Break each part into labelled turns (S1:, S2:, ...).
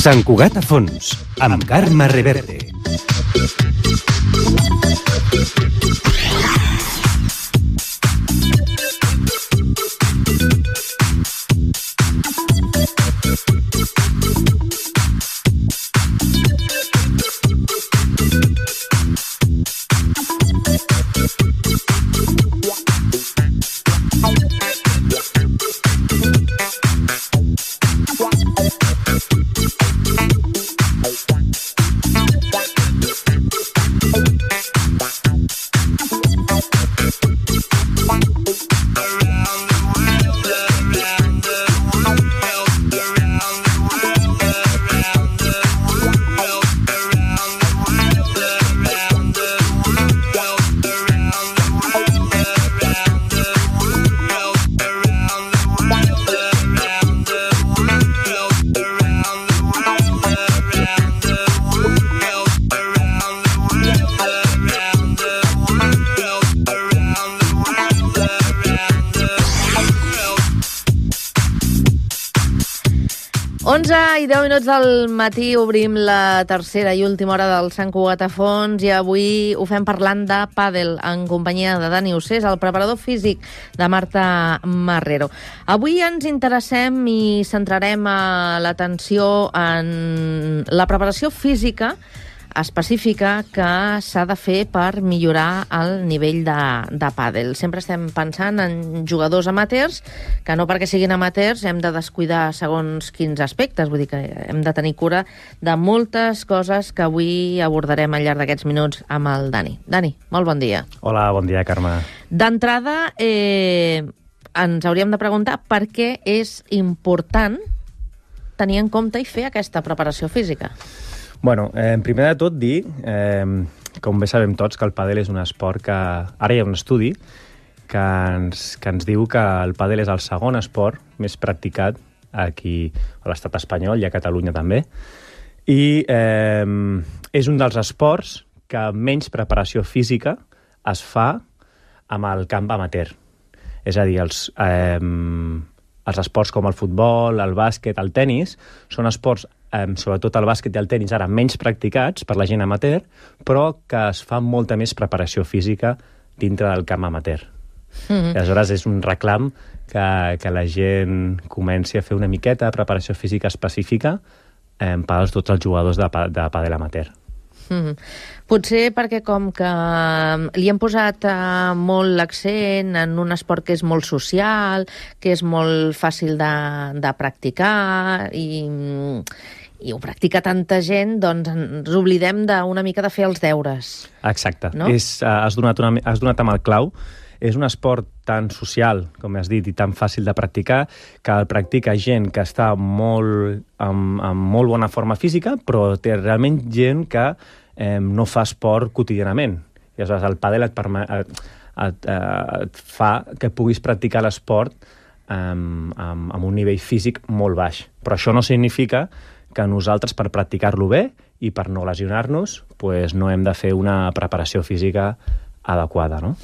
S1: Sant Cugat a fons, amb Carme Reverte.
S2: I 10 minuts del matí obrim la tercera i última hora del Sant Cugat a fons i avui ho fem parlant de pàdel en companyia de Dani Ossés, el preparador físic de Marta Marrero. Avui ens interessem i centrarem l'atenció en la preparació física específica que s'ha de fer per millorar el nivell de pàdel. Sempre estem pensant en jugadors amateurs, que no perquè siguin amateurs hem de descuidar segons quins aspectes, vull dir que hem de tenir cura de moltes coses que avui abordarem al llarg d'aquests minuts amb el Dani. Dani, molt bon dia.
S3: Hola, bon dia, Carme.
S2: D'entrada, ens hauríem de preguntar per què és important tenir en compte i fer aquesta preparació física.
S3: Bueno, primer de tot dir, com bé sabem tots, que el pàdel és un esport que... Ara hi ha un estudi que ens diu que el pàdel és el segon esport més practicat aquí a l'estat espanyol i a Catalunya també. I és un dels esports que menys preparació física es fa amb el camp amateur. És a dir, els esports com el futbol, el bàsquet, el tennis, són esports sobretot el bàsquet i el tenis ara menys practicats per la gent amateur, però que es fa molta més preparació física dintre del camp amateur. Aleshores és un reclam que la gent comenci a fer una miqueta de preparació física específica per a tots els jugadors de pàdel amateur.
S2: Potser perquè com que li hem posat molt l'accent en un esport que és molt social, que és molt fàcil de practicar i ho practica tanta gent, doncs ens oblidem d'una mica de fer els deures.
S3: Exacte.
S2: No?
S3: Has donat amb el clau. És un esport tan social, com has dit, i tan fàcil de practicar, que el practica gent que està amb molt bona forma física, però té realment gent que no fa esport quotidianament. I aleshores el pàdel et fa que puguis practicar l'esport amb un nivell físic molt baix. Però això no significa que nosaltres, per practicar-lo bé i per no lesionar-nos, no hem de fer una preparació física adequada, no?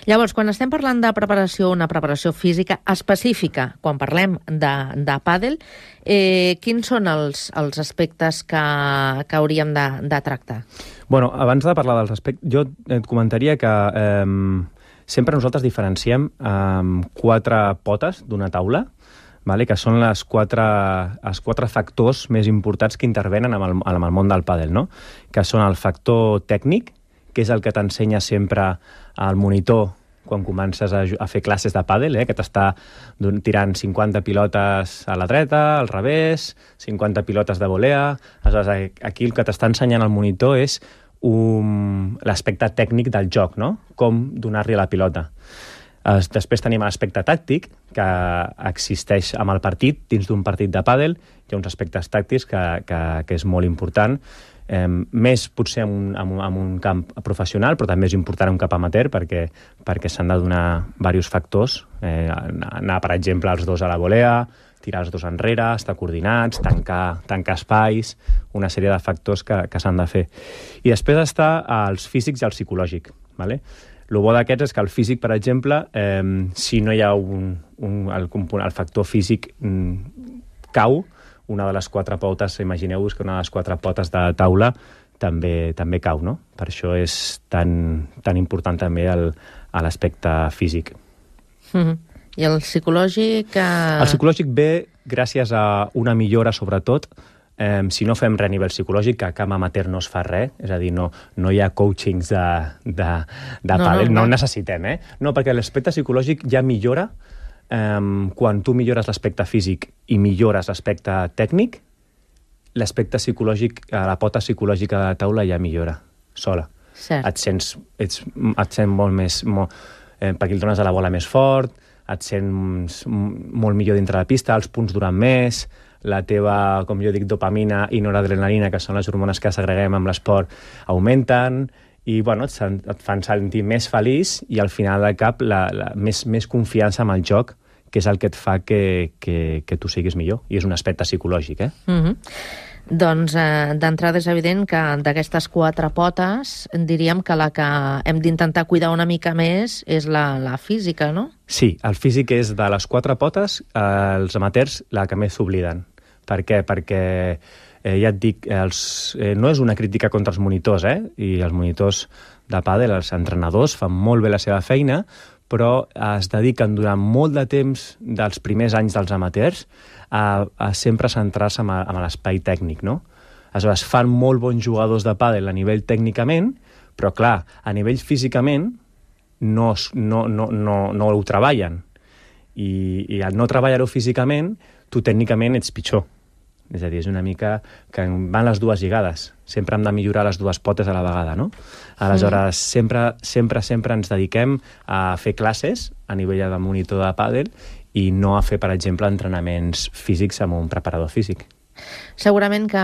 S2: Llavors, quan estem parlant de preparació, una preparació física específica, quan parlem de pàdel, quins són els aspectes que hauríem de tractar?
S3: Bueno, abans de parlar dels aspectes, jo et comentaria que sempre nosaltres diferenciem 4 potes d'una taula, que són els quatre factors més importants que intervenen amb el món del pàdel, no? Que són el factor tècnic, que és el que t'ensenya sempre al monitor quan comences a fer classes de pàdel, que t'està tirant 50 pilotes a la dreta, al revés, 50 pilotes de volea. Aleshores, aquí el que t'està ensenyant el monitor és l'aspecte tècnic del joc, no? Com donar-li a la pilota. Després tenim l'aspecte tàctic, que existeix amb el partit, dins d'un partit de pàdel. Hi ha uns aspectes tàctics que és molt important, més potser en un camp professional, però també és important en un camp amateur perquè s'han de donar diversos factors. Anar, per exemple, els dos a la volea, tirar els dos enrere, estar coordinats, tancar espais, una sèrie de factors que s'han de fer. I després està els físics i el psicològic, ¿vale? El bo d'aquests és que el físic, per exemple, si no hi ha el factor físic cau, una de les 4 potes, imagineu-vos que una de les 4 potes de taula també cau, no? Per això és tan important també l'aspecte físic.
S2: I el psicològic...
S3: El psicològic ve gràcies a una millora, sobretot, si no fem res a nivell psicològic, que a camp amateur no es fa res, és a dir, no hi ha coachings de pàdel, no necessitem, No, perquè l'aspecte psicològic ja millora quan tu millores l'aspecte físic i millores l'aspecte tècnic, l'aspecte psicològic, la pota psicològica de la taula ja millora, sola.
S2: Cert.
S3: Et sents molt més... perquè el dones a la bola més fort, et sents molt millor dintre la pista, els punts duran més, la teva, com jo dic, dopamina i noradrenalina, que són les hormones que segreguem amb l'esport, augmenten i bueno, et fan sentir més feliç i al final del cap més confiança amb el joc, que és el que et fa que tu siguis millor. I és un aspecte psicològic,
S2: Doncs, d'entrada és evident que d'aquestes 4 potes diríem que la que hem d'intentar cuidar una mica més és la física, no?
S3: Sí, el físic és de les 4 potes, els amateurs la que més s'obliden. Per què? Perquè, ja et dic, no és una crítica contra els monitors, i els monitors de pàdel, els entrenadors, fan molt bé la seva feina, però es dediquen durant molt de temps dels primers anys dels amateurs a sempre centrar-se en l'espai tècnic, no? Aleshores, fan molt bons jugadors de pàdel a nivell tècnicament, però clar, a nivell físicament no ho treballen. I al no treballar-ho físicament, tu tècnicament ets pitjor. És a dir, és una mica que van les dues lligades. Sempre hem de millorar les dues potes a la vegada, no? Aleshores, sempre ens dediquem a fer classes a nivell de monitor de pàdel i no a fer, per exemple, entrenaments físics amb un preparador físic.
S2: Segurament que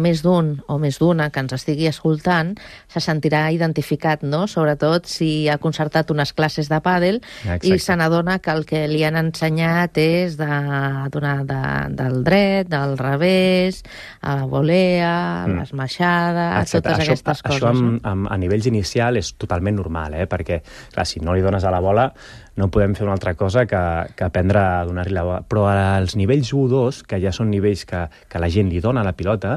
S2: més d'un o més d'una que ens estigui escoltant se sentirà identificat, no? Sobretot si ha concertat unes classes de pàdel i se n'adona que el que li han ensenyat és del dret, del revés, a la volea, l'esmaixada, totes aquestes coses.
S3: Això a nivells inicial és totalment normal, perquè clar, si no li dones a la bola no podem fer una altra cosa que aprendre a donar-li la bola. Però als nivells 1 o 2, que ja són nivells que la gent li dona a la pilota,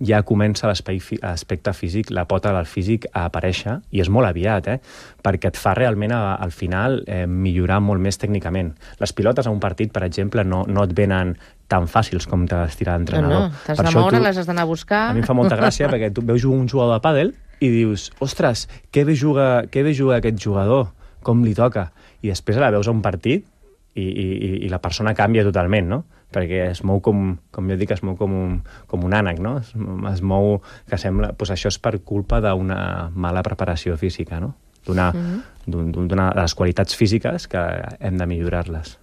S3: ja comença l'aspecte físic, la pota del físic a aparèixer, i és molt aviat, perquè et fa realment, al final, millorar molt més tècnicament. Les pilotes a un partit, per exemple, no et venen tan fàcils com te les tira l'entrenador.
S2: No, t'has de moure, les has d'anar a buscar...
S3: A mi em fa molta gràcia, perquè tu veus un jugador de pàdel i dius, ostres, que bé juga aquest jugador, com li toca. I després la veus a un partit i la persona canvia totalment, no? Perquè es mou com jo dic, es mou com un ànec, no? Es mou que sembla... Doncs això és per culpa d'una mala preparació física, no? De les qualitats físiques que hem de millorar-les.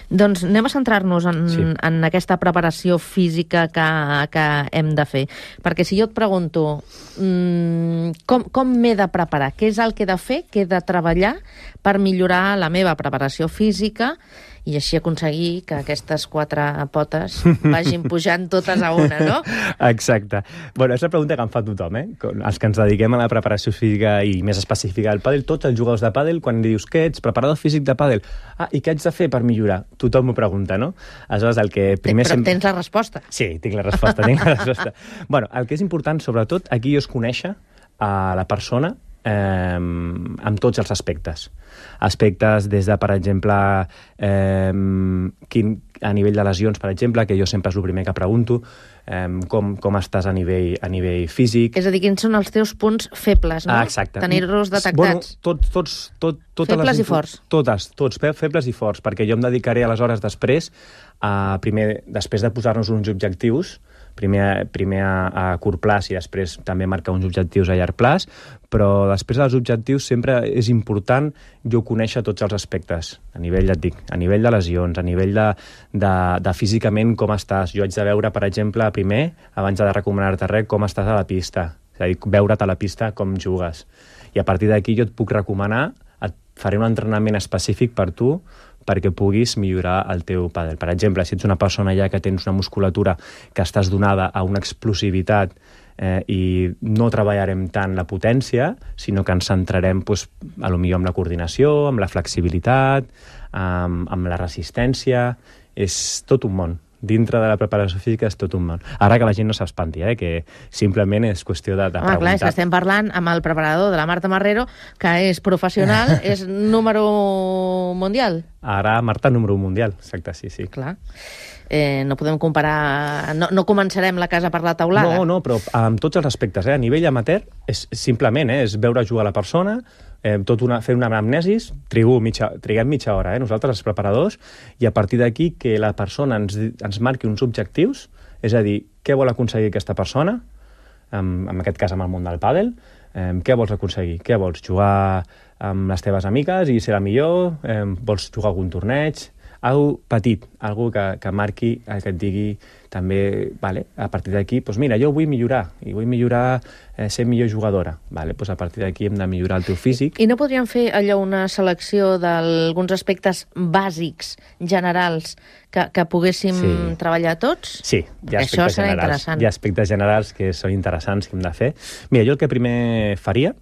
S2: Doncs anem a centrar-nos en aquesta preparació física que hem de fer. Perquè si jo et pregunto com m'he de preparar, què és el que he de fer, què he de treballar per millorar la meva preparació física i així aconseguir que aquestes 4 potes vagin pujant totes a una, no?
S3: Exacte. Bueno, és la pregunta que em fa tothom, Els que ens dediquem a la preparació física i més específica del pàdel, tots els jugadors de pàdel, quan dius què ets, preparador físic de pàdel, i què haig de fer per millorar? Tothom m'ho pregunta, no? Aleshores, el que primer...
S2: Però tens la resposta.
S3: Sí, tinc la resposta. Bueno, el que és important, sobretot, aquí és conèixer a la persona amb tots els aspectes. Aspectes des de, per exemple, a nivell de lesions, per exemple, que jo sempre és el primer que pregunto, com estàs a nivell físic.
S2: És a dir, quins són els teus punts febles, no?
S3: Exacte.
S2: Tenir-los detectats.
S3: Bueno,
S2: febles i forts.
S3: Tots febles i forts, perquè jo em dedicaré aleshores després de posar-nos uns objectius, primer a curt plaç i després també marcar uns objectius a llarg plaç, però després dels objectius sempre és important jo conèixer tots els aspectes, a nivell, ja et dic, a nivell de lesions, a nivell de físicament com estàs. Jo haig de veure, per exemple, primer, abans de recomanar-te res, com estàs a la pista, és a dir, veure't a la pista com jugues. I a partir d'aquí jo et puc recomanar, et faré un entrenament específic per tu, perquè puguis millorar el teu pàdel. Per exemple, si ets una persona ja que tens una musculatura que estàs donada a una explosivitat i no treballarem tant la potència, sinó que ens centrarem potser en la coordinació, amb la flexibilitat, amb la resistència. És tot un món. Dintre de la preparació física és tot un món. Ara que la gent no s'espanti, que simplement és qüestió de preguntar.
S2: Clar, és que estem parlant amb el preparador de la Marta Marrero, que és professional, és número mundial.
S3: Ara Marta número mundial, exacte, sí.
S2: Clar. No podem comparar... No començarem la casa per la taulada.
S3: No, però amb tots els aspectes. A nivell amateur, simplement és veure jugar la persona, fer una anamnesis, triguem mitja hora, nosaltres, els preparadors, i a partir d'aquí que la persona ens marqui uns objectius, és a dir, què vol aconseguir aquesta persona, en aquest cas amb el món del pàdel, què vols aconseguir? Què vols? Jugar amb les teves amigues i ser la millor? Vols jugar a algun torneig? Algo petit, algo que marqui, que et digui també, a partir d'aquí, doncs mira, jo vull millorar, i vull millorar ser millor jugadora. Doncs a partir d'aquí hem de millorar el teu físic.
S2: I no podríem fer allò una selecció d'alguns aspectes bàsics, generals, que poguéssim treballar tots?
S3: Sí, hi ha aspectes generals. Hi ha aspectes generals que són interessants que hem de fer. Mira, jo el que primer faria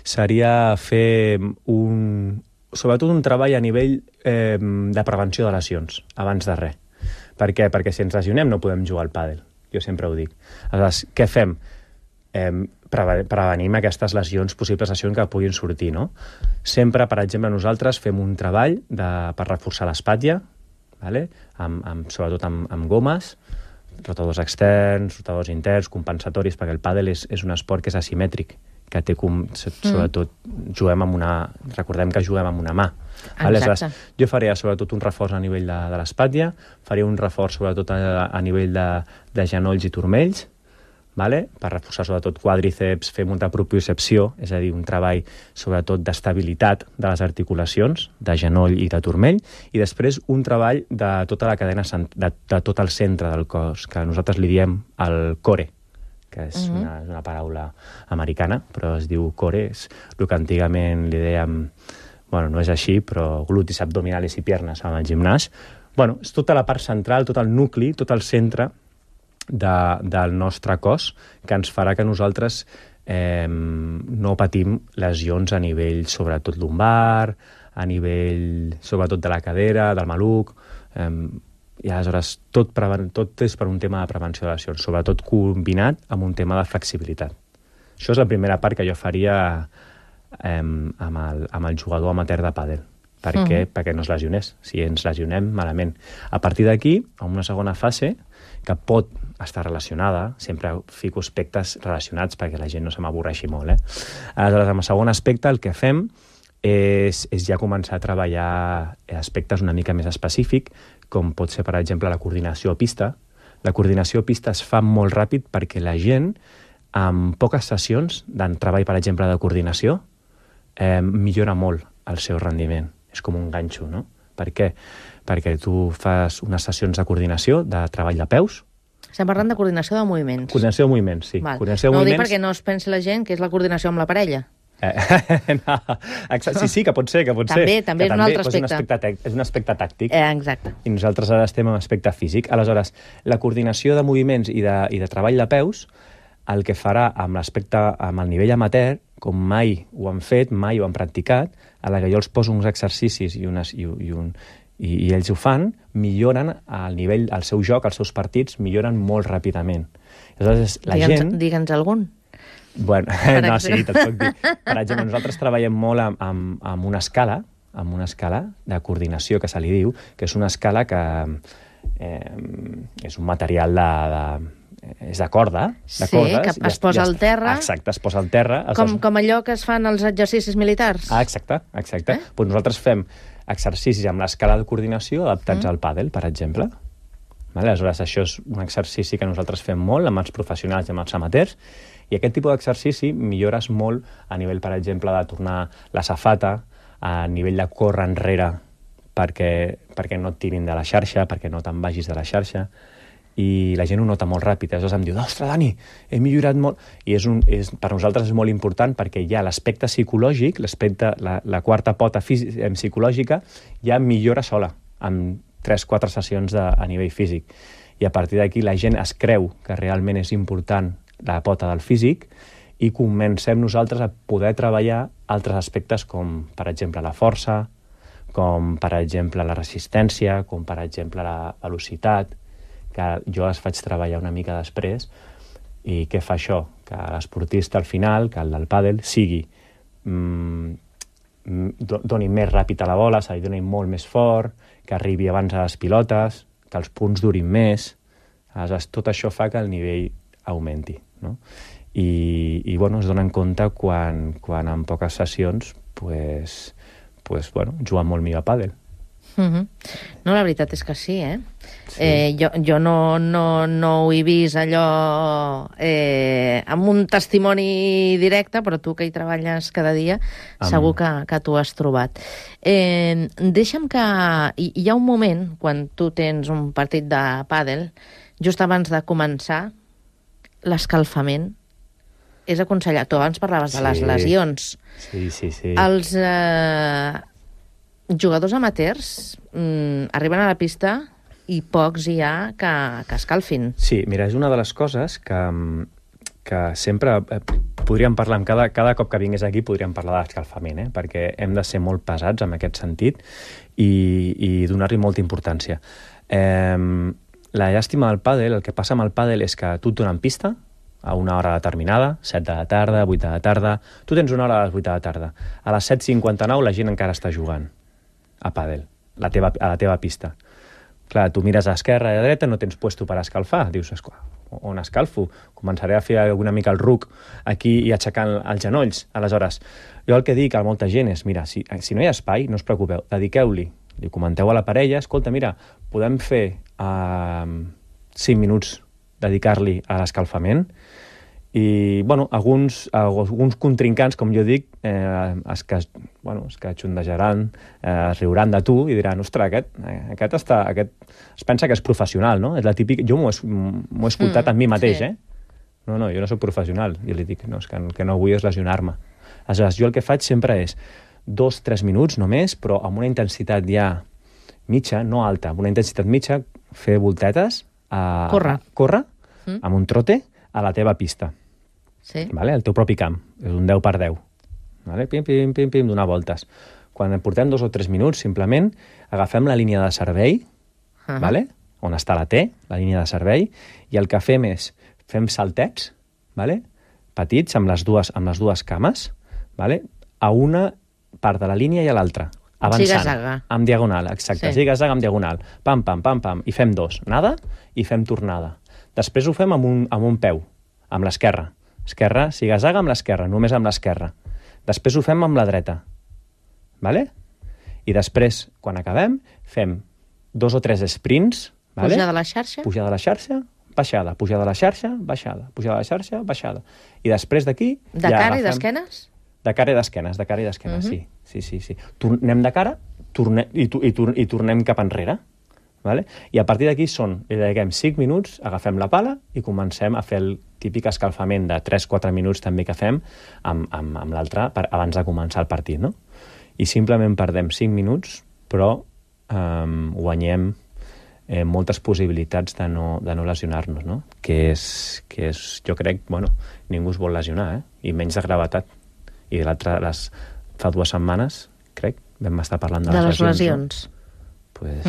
S3: seria fer sobretot un treball a nivell de prevenció de lesions, abans de res. Per què? Perquè si ens lesionem no podem jugar al pàdel. Jo sempre ho dic. Aleshores, què fem? Prevenim aquestes lesions, possibles lesions que puguin sortir, no? Sempre, per exemple, nosaltres fem un treball per reforçar l'espatlla, sobretot amb gomes, rotadors externs, rotadors interns, compensatoris, perquè el pàdel és un esport que és asimètric, que té sobretot recordem que juguem amb una mà. Aleshores, jo faria sobretot un reforç a nivell de l'espatlla, faria un reforç sobretot a nivell de genolls i turmells, per reforçar sobretot quàdriceps, fer molta propriocepció, és a dir, un treball sobretot d'estabilitat de les articulacions, de genoll i de turmell, i després un treball de tota la cadena, de tot el centre del cos, que nosaltres li diem el core, que és una paraula americana, però es diu core, és el que antigament li dèiem, no és així, però glutis, abdominals i piernas amb el gimnàs. És tota la part central, tot el nucli, tot el centre del nostre cos, que ens farà que nosaltres no patim lesions a nivell sobretot lumbar, a nivell sobretot de la cadera, del maluc, i aleshores tot és per un tema de prevenció de lesions, sobretot combinat amb un tema de flexibilitat. Això és la primera part que jo faria amb el jugador amateur de pàdel. Per què? Perquè no es lesionés. Si ens lesionem, malament. A partir d'aquí, en una segona fase, que pot estar relacionada, sempre fico aspectes relacionats perquè la gent no se m'avorreixi molt. Aleshores, en el segon aspecte, el que fem és ja començar a treballar aspectes una mica més específics, com pot ser, per exemple, la coordinació a pista. La coordinació a pista es fa molt ràpid perquè la gent, amb poques sessions de treball, per exemple, de coordinació, millora molt el seu rendiment. És com un ganxo, no? Per què? Perquè tu fas unes sessions de coordinació, de treball de peus.
S2: Estem parlant de coordinació de moviments.
S3: Coordinació de moviments, sí.
S2: No ho dic perquè no es pensi la gent que és la coordinació amb la parella.
S3: Sí, que pot ser.
S2: També és un altre aspecte.
S3: És un aspecte tàctic.
S2: Exacte.
S3: I nosaltres ara estem en aspecte físic. Aleshores, la coordinació de moviments i de treball de peus, el que farà amb el nivell amateur, com mai ho han fet, mai ho han practicat, a la que jo els poso uns exercicis i ells ho fan, milloren el nivell, el seu joc, els seus partits, milloren molt ràpidament. Aleshores,
S2: Digue'ns algun.
S3: No, sí, te'l puc dir. Per exemple, nosaltres treballem molt amb una escala de coordinació, que se li diu, que és una escala que és un material és de corda,
S2: que es posa al terra.
S3: Exacte, es posa al terra.
S2: Com allò que es fan als exercicis militars.
S3: Exacte. Doncs nosaltres fem exercicis amb l'escala de coordinació adaptats al pàdel, per exemple. Aleshores, això és un exercici que nosaltres fem molt amb els professionals i amb els amateurs, i aquest tipus d'exercici millores molt a nivell, per exemple, de tornar la safata, a nivell de córrer enrere perquè no et tirin de la xarxa, perquè no te'n vagis de la xarxa, i la gent ho nota molt ràpid. Aleshores em diu, ostres, Dani, he millorat molt. I per nosaltres és molt important perquè hi ha l'aspecte psicològic, la quarta pota psicològica, ja millora sola, amb 3-4 sessions a nivell físic. I a partir d'aquí la gent es creu que realment és important la pota del físic i comencem nosaltres a poder treballar altres aspectes com, per exemple, la força, com per exemple la resistència, com per exemple la velocitat, que jo les faig treballar una mica després. I què fa això? Que l'esportista al final, que el del pàdel, sigui doni més ràpid a la bola, se li doni molt més fort, que arribi abans a les pilotes, que els punts durin més. Aleshores, tot això fa que el nivell augmenti, no? I bueno, es donen compte quan en poques sessions juguen molt millor a pàdel.
S2: No, la veritat és que sí, eh?
S3: Sí.
S2: Jo no ho he vist allò amb un testimoni directe, però tu que hi treballes cada dia segur que t'ho has trobat. Deixa'm que... Hi ha un moment, quan tu tens un partit de pàdel, just abans de començar, l'escalfament és aconsellat. Tu abans parlaves de les lesions.
S3: Sí.
S2: Els jugadors amateurs arriben a la pista i pocs hi ha que escalfin.
S3: Sí, mira, és una de les coses que sempre podríem parlar, cada cop que vingués aquí podríem parlar de l'escalfament, perquè hem de ser molt pesats en aquest sentit i donar-li molta importància. La llàstima del pàdel, el que passa amb el pàdel és que tu et donen pista a una hora determinada, 7 de la tarda, 8 de la tarda... Tu tens una hora a les 8 de la tarda. A les 7:59 la gent encara està jugant a pàdel, a la teva pista. Clar, tu mires a esquerra i a dreta, no tens puesto per escalfar. Dius, on escalfo? Començaré a fer una mica el ruc aquí i aixecant els genolls. Aleshores, jo el que dic a molta gent és, mira, si no hi ha espai, no us preocupeu, dediqueu-li. Li comenteu a la parella, escolta, mira, podem fer 5 minuts dedicar-li a l'escalfament i, bueno, alguns contrincants, com jo dic, es que xondejaran, es riuran de tu i diran, ostres, aquest es pensa que és professional, no? És la típica... Jo m'ho he escoltat amb mi mateix,
S2: sí.
S3: No, jo no soc professional. Jo li dic, no, és que no vull és lesionar-me. Aleshores, jo el que faig sempre és 2-3 minuts només, però amb una intensitat ja mitja, no alta, amb una intensitat mitja, fer voltetes, córrer amb un trote a la teva pista.
S2: Sí.
S3: Vale? El teu propi camp. És un 10x10. Vale? Pim, pim, pim, pim, donar voltes. Quan portem 2 o 3 minuts, simplement agafem la línia de servei, vale? On està la T, la línia de servei, i el que fem és, fem saltets, vale? Petits, amb les dues cames, vale? A una part de la línia i a l'altra. Avançant.
S2: Ziga-zaga.
S3: Amb diagonal, exacte. Sí. Ziga-zaga amb diagonal. Pam, pam, pam, pam. I fem 2. Nada i fem tornada. Després ho fem amb un peu, amb l'esquerra. Esquerra, ziga-zaga amb l'esquerra, només amb l'esquerra. Després ho fem amb la dreta. Vale? I després, quan acabem, fem 2 o 3 sprints. Vale?
S2: Pujar de la xarxa.
S3: Pujar de la xarxa, baixada. Pujar de la xarxa, baixada. Pujar de la xarxa, baixada. I després d'aquí...
S2: De cara i d'esquenes?
S3: De cara i d'esquenes, sí. Anem de cara i tornem cap enrere. Vale? I a partir d'aquí li dediquem 5 minuts, agafem la pala i comencem a fer el típic escalfament de 3-4 minuts també que fem amb l'altre abans de començar el partit, no? I simplement perdem 5 minuts, però guanyem moltes possibilitats de no lesionar-nos, no? Que és, jo crec, ningú es vol lesionar, i menys de gravetat. I fa 2 setmanes, crec, vam estar parlant de les lesions. Pues...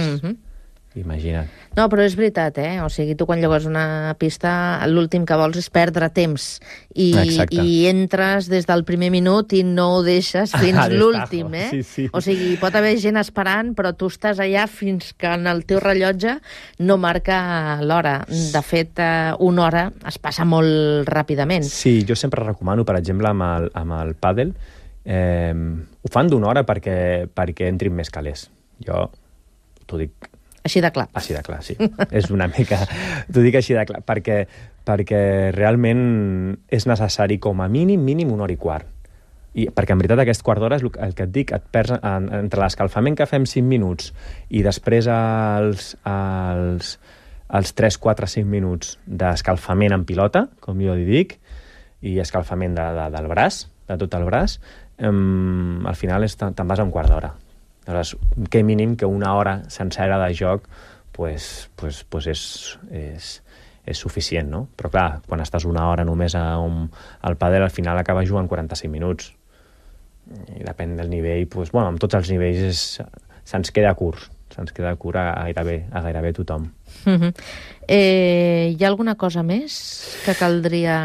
S3: Imagina't.
S2: No, però és veritat, O sigui, tu quan llogues una pista, l'últim que vols és perdre temps. I entres des del primer minut i no ho deixes fins l'últim,
S3: Sí.
S2: O sigui, pot haver gent esperant, però tu estàs allà fins que en el teu rellotge no marca l'hora. De fet, 1 hora es passa molt ràpidament.
S3: Sí, jo sempre recomano, per exemple, amb el pàdel, ho fan d'1 hora perquè entrin més calés. Jo t'ho dic...
S2: Així de clar.
S3: Així de clar, sí. És una mica... T'ho dic així de clar, perquè realment és necessari com a mínim 1 hora i quart. I perquè en veritat aquest quart d'hora és el que et dic, et perds entre l'escalfament que fem 5 minuts i després els 3, 4, 5 minuts d'escalfament en pilota, com jo li dic, i escalfament del braç, de tot el braç, al final te'n vas a 1 quart d'hora. Aleshores, que mínim que 1 hora sencera de joc pues és suficient, no? Però clar, quan estàs 1 hora només al pàdel, al final acabes jugant 45 minuts. I depèn del nivell, amb tots els nivells se'ns queda curt. Se'ns queda curt a gairebé tothom.
S2: Hi ha alguna cosa més que caldria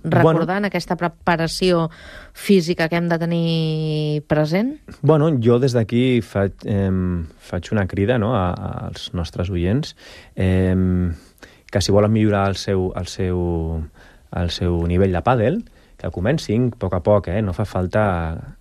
S2: recordar en aquesta preparació física que hem de tenir present?
S3: Bueno, jo des d'aquí faig una crida, no, als nostres oients que si volen millorar el seu nivell de pàdel, que comencin a poc, no fa falta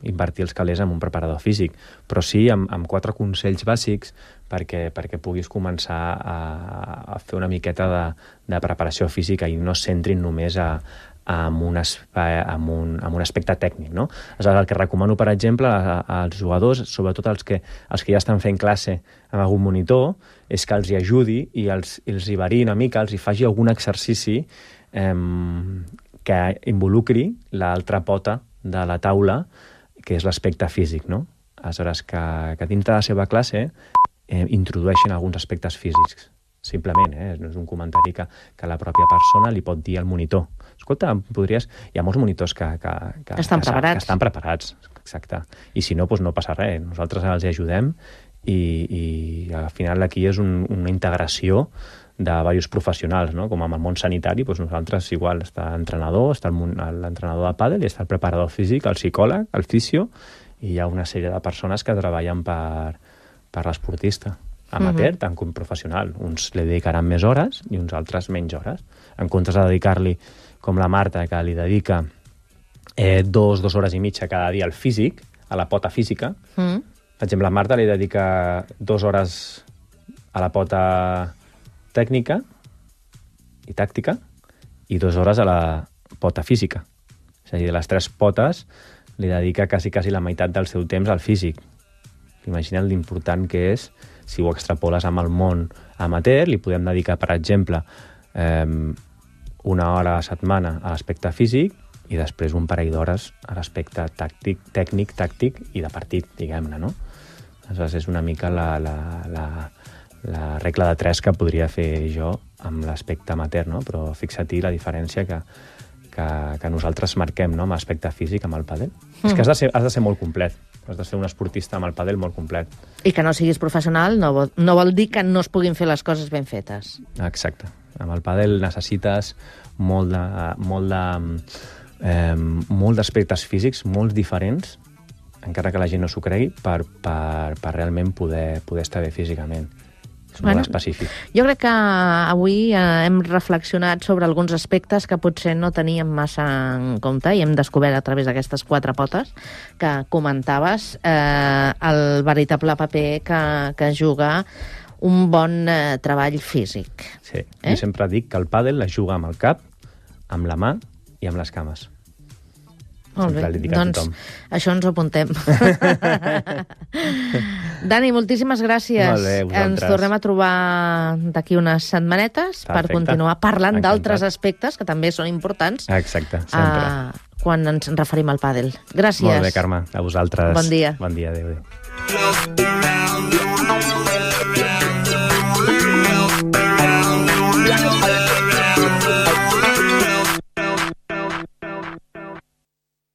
S3: invertir els calés en un preparador físic, però sí amb 4 consells bàsics perquè puguis començar a fer una miqueta de preparació física i no es centrin només en un aspecte tècnic, no? Aleshores, el que recomano, per exemple, als jugadors, sobretot els que ja estan fent classe amb algun monitor, és que els hi ajudi i els hi variï una mica, els hi faci algun exercici que involucri l'altra pota de la taula, que és l'aspecte físic, no? Aleshores, que dintre de la seva classe introdueixin alguns aspectes físics, simplement, no és un comentari que la pròpia persona li pot dir al monitor. Escolta, hi ha molts monitors que estan preparats, exacte. I si no, doncs no passa res. Nosaltres els ajudem i al final aquí és una integració de diversos professionals, no? Com amb el món sanitari, doncs nosaltres igual està l'entrenador, està l'entrenador de pàdel i està el preparador físic, el psicòleg, el fisio, i hi ha una sèrie de persones que treballen per l'esportista, amateur tant com professional. Uns li dedicaran més hores i uns altres menys hores. En comptes de dedicar-li, com la Marta, que li dedica 2 hores i mitja cada dia al físic, a la pota física. Per exemple, la Marta li dedica 2 hores a la pota tècnica i tàctica i 2 hores a la pota física. És a dir, de les 3 potes li dedica quasi la meitat del seu temps al físic. Imagina't l'important que és, si ho extrapoles amb el món amateur, li podem dedicar, per exemple, 1 hora a la setmana a l'aspecte físic i després un parell d'hores a l'aspecte tècnic, tàctic i de partit, diguem-ne, no? Aleshores, és una mica la regla de 3 que podria fer jo amb l'aspecte amateur, no? Però fixa-t'hi la diferència que nosaltres marquem, no? Amb l'aspecte físic, amb el pàdel. És que has de ser molt complet. Has de ser un esportista amb el pàdel molt complet.
S2: I que no siguis professional no vol dir que no es puguin fer les coses ben fetes.
S3: Exacte. Amb el pàdel necessites molt d'aspectes físics, molts diferents, encara que la gent no s'ho cregui, per realment poder estar bé físicament. És molt específic.
S2: Jo crec que avui hem reflexionat sobre alguns aspectes que potser no teníem massa en compte i hem descobert a través d'aquestes 4 potes que comentaves el veritable paper que juga un bon treball físic.
S3: Sí, jo sempre dic que el pàdel es juga amb el cap, amb la mà i amb les cames.
S2: Molt bé, doncs això ens ho apuntem. Dani, moltíssimes gràcies.
S3: Molt bé, vosaltres.
S2: Ens tornem a trobar d'aquí unes setmanetes per continuar parlant d'altres aspectes que també són importants.
S3: Exacte, sempre.
S2: Quan ens referim al pàdel. Gràcies.
S3: Molt bé, Carme, a vosaltres.
S2: Bon dia.
S3: Bon dia, adéu.